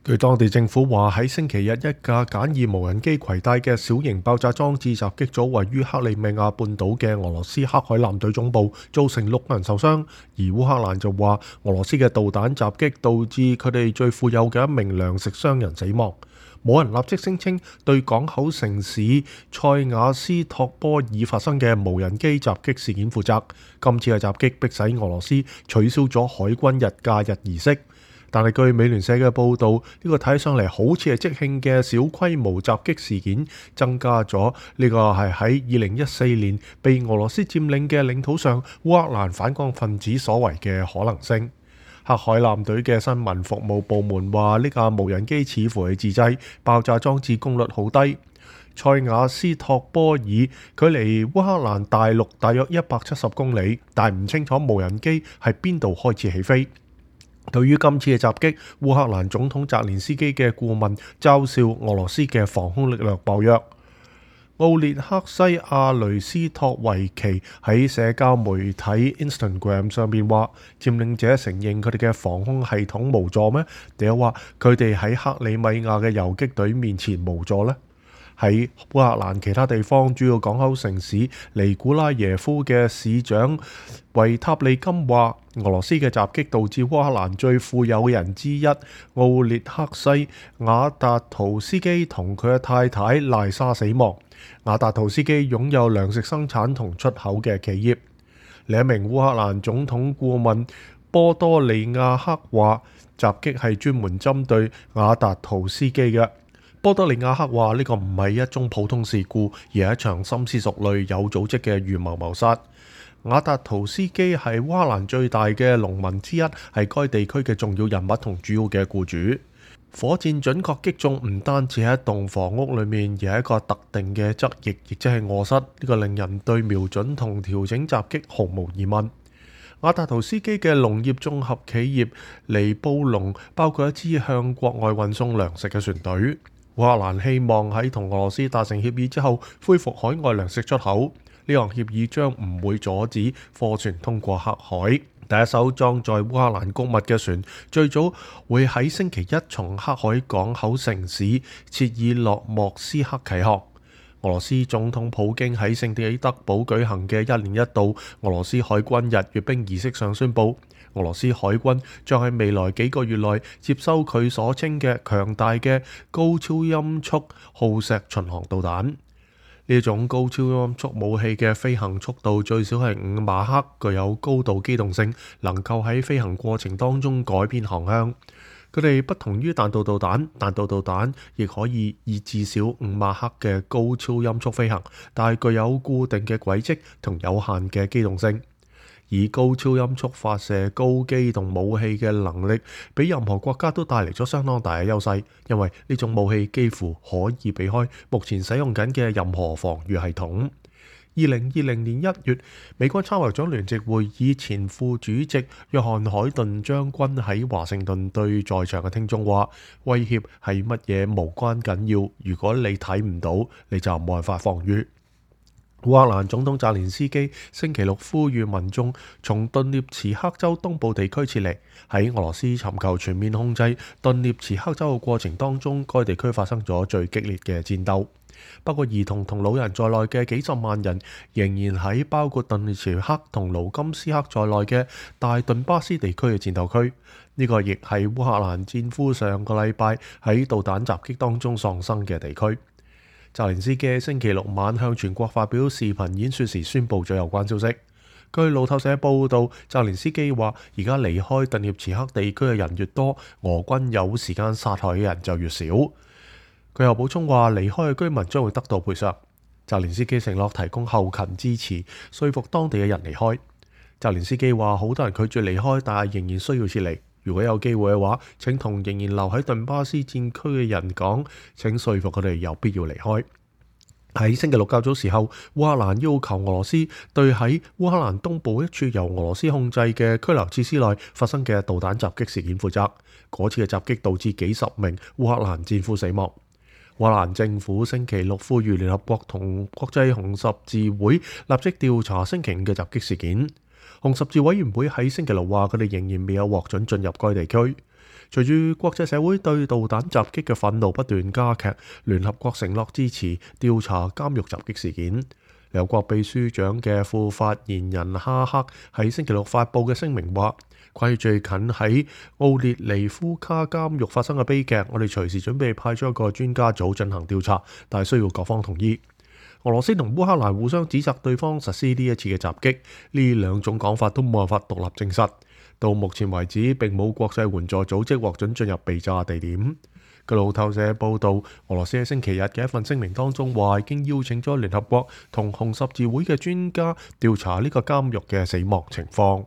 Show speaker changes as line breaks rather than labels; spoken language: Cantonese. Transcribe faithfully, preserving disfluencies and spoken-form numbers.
據當地政府話，喺星期日一架簡易無人機攜帶嘅小型爆炸裝置襲擊咗位於克里米亞半島嘅俄羅斯黑海艦隊總部，造成六人受傷。而烏克蘭就話，俄羅斯嘅導彈襲擊導致佢哋最富有嘅一名糧食商人死亡。冇人立即聲稱對港口城市塞瓦斯托波爾發生嘅無人機襲擊事件負責。今次嘅襲擊迫使俄羅斯取消咗海軍日假日儀式。但係據美聯社嘅報導，呢、這個睇上嚟好似係即興嘅小規模襲擊事件，增加咗呢個係喺二零一四年被俄羅斯佔領嘅領土上烏克蘭反抗分子所為嘅可能性。黑海艦隊嘅新聞服務部門話，呢架無人機似乎係自製，爆炸裝置功率好低。塞瓦斯托波爾距離烏克蘭大陸大約一百七十公里，但唔清楚無人機係邊度開始起飛。對於今次嘅襲擊，烏克蘭總統澤連斯基嘅顧問嘲笑俄羅斯嘅防空力量薄弱。奧列克西亞雷斯托維奇喺社交媒體 Instagram 上面話，佔領者承認佢哋嘅防空系統無助咩？定係話佢哋喺克里米亞嘅游擊隊面前無助呢？喺烏克蘭其他地方主要港口城市尼古拉耶夫嘅市長維塔利金話，俄羅斯嘅襲擊導致烏克蘭最富有嘅人之一奧列克西瓦達圖斯基同佢嘅太太賴莎死亡。瓦達圖斯基擁有糧食生產同出口嘅企業。另一名烏克蘭總統顧問波多利亞克話，襲擊係專門針對瓦達圖斯基嘅。波多利亞克話，呢個唔係一宗普通事故，而係一場深思熟慮有組織嘅預謀謀殺。瓦達圖斯基係烏克蘭最大嘅農民之一，係該地區嘅重要人物同主要嘅僱主。火箭準確擊中唔單止喺一棟房屋裏面，而係一個特定嘅側翼，亦即係臥室。呢個令人對瞄準同調整襲擊毫無疑問。瓦達圖斯基嘅農業綜合企業尼布隆包括一支向國外運送糧食嘅船隊。烏克蘭希望喺同俄羅斯達成協議之後，恢復海外糧食出口。呢項協議將唔會阻止貨船通過黑海。第一艘裝載烏克蘭穀物嘅船，最早會喺星期一從黑海港口城市切爾諾莫斯克啟航。俄羅斯總統普京喺聖彼得堡舉行嘅一年一度俄羅斯海軍日閱兵儀式上宣布，俄羅斯海軍將喺未來幾個月內接收佢所稱嘅強大嘅高超音速鋯石巡航導彈。呢種高超音速武器嘅飛行速度最少係五馬赫，具有高度機動性，能夠喺飛行過程當中改變航向。佢哋不同於彈道導彈，彈道導彈亦可以以至少五馬赫嘅高超音速飛行，但係具有固定嘅軌跡同有限嘅機動性。以高超音速發射高機動武器嘅能力，俾任何國家都帶嚟咗相當大嘅優勢，因為呢種武器幾乎可以避開目前使用緊嘅任何防禦系統。二零二零年一月，美國參謀長聯席會議前副主席約翰海頓將軍喺華盛頓對在場嘅聽眾話：威脅係乜嘢無關緊要，如果你睇唔到，你就冇辦法防禦。烏克蘭總統澤連斯基星期六呼籲民眾從頓涅茨克州東部地區撤離。喺俄羅斯尋求全面控制頓涅茨克州嘅過程當中，該地區發生咗最激烈嘅戰鬥。包括兒童同老人在內嘅幾十萬人仍然喺包括頓涅茨克同盧甘斯克在內嘅大頓巴斯地區嘅戰鬥區。呢、這個亦係烏克蘭戰俘上個禮拜喺導彈襲擊當中喪生嘅地區。澤連斯基星期六晚向全國發表視頻演說時宣布咗有關消息。據路透社報道，澤連斯基話：而家離開頓涅茨克地區嘅人越多，俄軍有時間殺害嘅人就越少。佢又補充話：離開嘅居民將會得到賠償。澤連斯基承諾提供後勤支持，說服當地嘅人離開。澤連斯基話：好多人拒絕離開，但係仍然需要撤離。如果有機會嘅話，請同仍然留喺頓巴斯戰區嘅人講，請說服佢哋有必要離開。喺星期六較早時候，烏克蘭要求俄羅斯對喺烏克蘭東部一處由俄羅斯控制嘅拘留設施內發生嘅導彈襲擊事件負責。嗰次嘅襲擊導致幾十名烏克蘭戰俘死亡。烏克蘭政府星期六呼籲聯合國同國際紅十字會立即調查星期五嘅襲擊事件。紅十字委員會喺星期六話，佢哋仍然未有獲准進入該地區。隨住國際社會對導彈襲擊嘅憤怒不斷加劇，聯合國承諾支持調查監獄襲擊事件。聯合國秘書長嘅副發言人哈克喺星期六發布嘅聲明話，關於最近喺奧列尼夫卡監獄發生嘅悲劇，我哋隨時準備派出一個專家組進行調查，但係需要各方同意。俄羅斯同烏克蘭互相指責對方實施呢一次嘅襲擊，呢兩種講法都冇辦法獨立證實。到目前為止，並冇國際援助組織獲准進入被炸地點。據路透社報導，俄羅斯喺星期日嘅一份聲明當中話，已經邀請咗聯合國同紅十字會嘅專家調查呢個監獄嘅死亡情況。